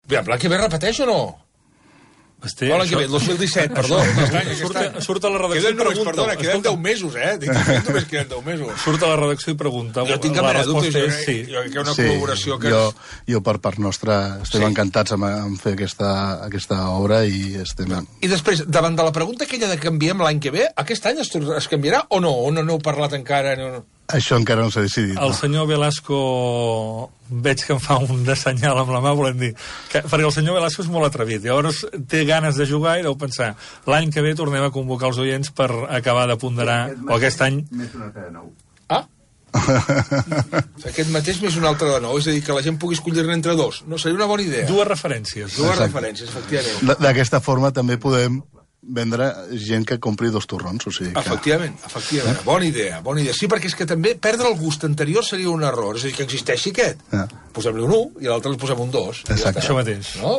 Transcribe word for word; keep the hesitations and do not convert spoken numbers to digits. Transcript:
Bé, l'any que ve repeteix o no? Basté, no, l'any que ve, el dos mil disset, perdó. Surt, surt a la redacció queden només, perdona, queden deu mesos, eh? Dic, només queden deu mesos. Surt a la redacció i pregunta. Jo tinc la resposta resposta és, és sí. Jo crec que una sí, col·laboració que jo, és... jo per part nostra estem Sí. encantats amb, amb fer aquesta, aquesta obra i estem... I després, davant de la pregunta aquella de canviem l'any que ve, aquest any es, es canviarà o no? O no n'heu parlat encara? No, no. Això encara no s'ha decidit. El no? senyor Velasco, veig que em fa un de senyal amb la mà, volem dir, que, perquè el senyor Velasco és molt atrevit, llavors té ganes de jugar i deu pensar, l'any que ve tornem a convocar els oients per acabar de ponderar, o aquest any... Ah? Aquest mateix més un altre de nou, és a dir, que la gent pugui escollir-ne entre dos. No, seria una bona idea. Dues referències. Dues Exacte. referències, efectivament. D'aquesta forma també podem vendre gent que compri dos torrons, o sigui que... Efectivament, efectivament. Bona idea, bona idea. Sí, perquè és que també perdre el gust anterior seria un error. És a dir, que existeixi aquest. Ja. Posem-li un u i a l'altre li posem un dos. Exacte. Això mateix. No?